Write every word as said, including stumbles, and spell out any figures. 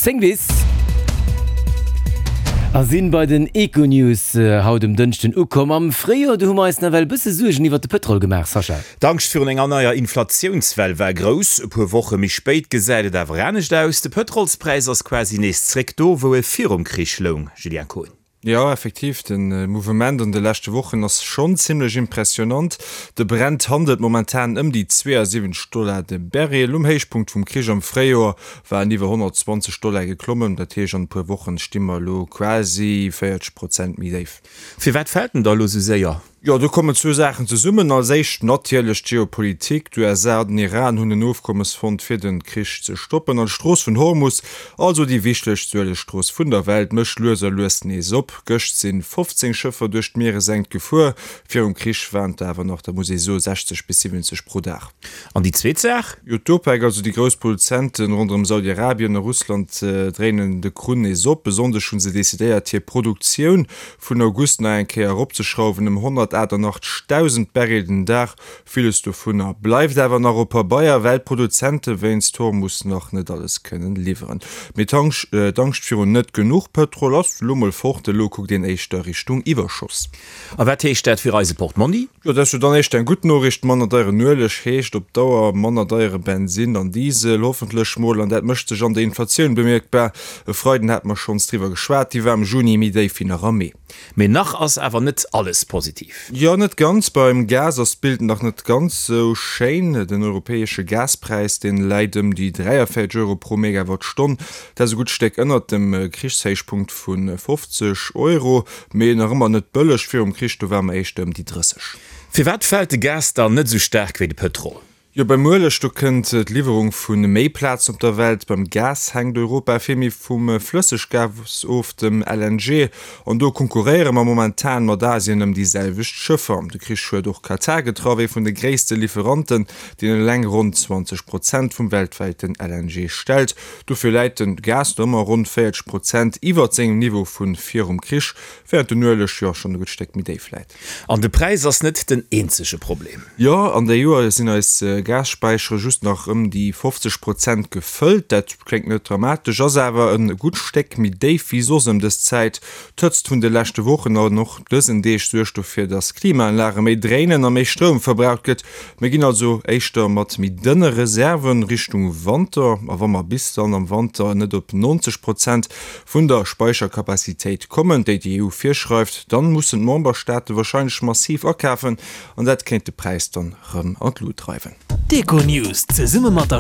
Zéng bis. A sinn bei den Econews haut um Dënschden ukomm. Am Fréijoer, do hu mer eis nawell e bësse Suergen iwwert de Pëtrol gemaach, Sascha. D'Angscht virun enger neier Inflatiounswell war grouss. E puer Woche méi spéit gesäit et awer anescht aus. De Pëtrolspräis ass quasi nees zréck do, wou e virum Krich loung, Julien Kohn. Jo, effektiv, de Mouvement an de leschte Wochen ass schonn zimmlech impressionant. De Brent handelt momentan ëm déi zweeënsiwwenzeg Dollar de Barrel. Um Héichpunkt vum Krich am Fréijoer war en iwwer honnertzwanzeg Dollar geklommen. Dat heescht, an e puer Wochen sti mer elo quasi véierzeg Prozent méi déif. Firwat fält en da elo sou séier? Jo, do kommen zwou Saachen zesummen. Als éischt natierlech d'Geopolitik. D'USA an den Iran hunn en Ofkommes fonnt, fir de Krich ze stoppen. An d'Strooss vun Hormus, also déi wichtegst Uelegstrooss vun der Welt, mécht lues a lues nees op. Gëscht si fofzéng Schëffer duerch d'Mieresenkt gefuer. Virum Krich waren et awer nach, dat muss ee soen, sechzeg bis siwwenzeg pro Dag. An déi zweet Saach? Jo, d'OPEC, also déi grouss Produzenten ronderëm Saudi-Arabien a Russland, dréinen de Krunn nees op. E Sonndeg hu se decidéiert, hir Produktioun vun August nach eng Kéier eropzeschrauwen ëm honnertaachtenachtzegdausend Barrel den Dag. Villes dovunner bleift awer nach op Pabeier, well d'Produzente wéinst Hormus nach net alles kënnen liwweren. Mee d'Angscht virun net genuch Pëtrol ass elo mol fort, elo kuckt een éischter Richtung Iwwerschoss. A wat heescht dat fir eise Portmonni? Jo, dat ass jo dann éischter eng gutt Noriicht. Manner deieren Ueleg heescht op Dauer manner deiere Bensinn an Diesel, hoffentlech mol. An dat mécht sech an der Inflatioun bemierkbar. E Freiden hate mer schonns driwwer geschwat, déi war am Juni méi déif wéi nach am Mee. Mee nach ass awer net alles positiv. Jo, net ganz. Beim Gas ass d'Bild nach net ganz sou schéin. Den europäesche Gaspräis, dee läit ëm déi dräiavéierzeg Euro pro Megawattstonn. Dat ass e gutt Stéck ënnert dem Krichshéichpunkt vu fofzeg Euro, mee nach ëmmer net bëlleg. Virum Krich, do ware mer éischter ëm déi drësseg. Firwat fält de Gas dann net esou staark wéi de Pëtrol? Jo, beim Ueleg, do kënnt d'Liwwerung vu méi Plazen op der Welt. Beim Gas hänkt Europa vill méi vum Flësseggas of, dem L N G. An do konkurréiere mer momentan mat Asien ëm déi selwecht Schëffer. De Krich huet och Katar getraff, ee vun de gréisste Liwweranten, deen eleng ronn zwanzeg Prozent vum weltwäiten L N G stellt. Dofir läit de Gas do ëmmer ronn véierzeg Prozent iwwert sengem Niveau vu virum Krich, wärend den Ueleg jo schonn e gutt Stéck méi déif läit. An de Präis ass net den eenzege Problem. Jo, an der Joer sinn eis Gasspäichere just nach ëm déi fofzeg Prozent gefëllt. Dat kléngt net dramatesch, ass awer e gutt Stéck méi déif wéi soss ëm dës Zäit. D'Hëtzt vun de leschte Wochen an och dësen Deeg suergt dofir, dass d'Klimaanlage méi dréinen a méi Stroum verbraucht gëtt. Mir ginn also éischter mat méi dënne Reserve Richtung Wanter. A wa mer bis dann am Wanter net op neunzeg Prozent vun der Speicherkapazitéit kommen, déi déi E U virschreift, dann mussen d'Memberstaate warscheinlech massiv akafen an dat kéint de Präis dann rëm an d'Lut dreiwen. D'Econews zesumme mat der.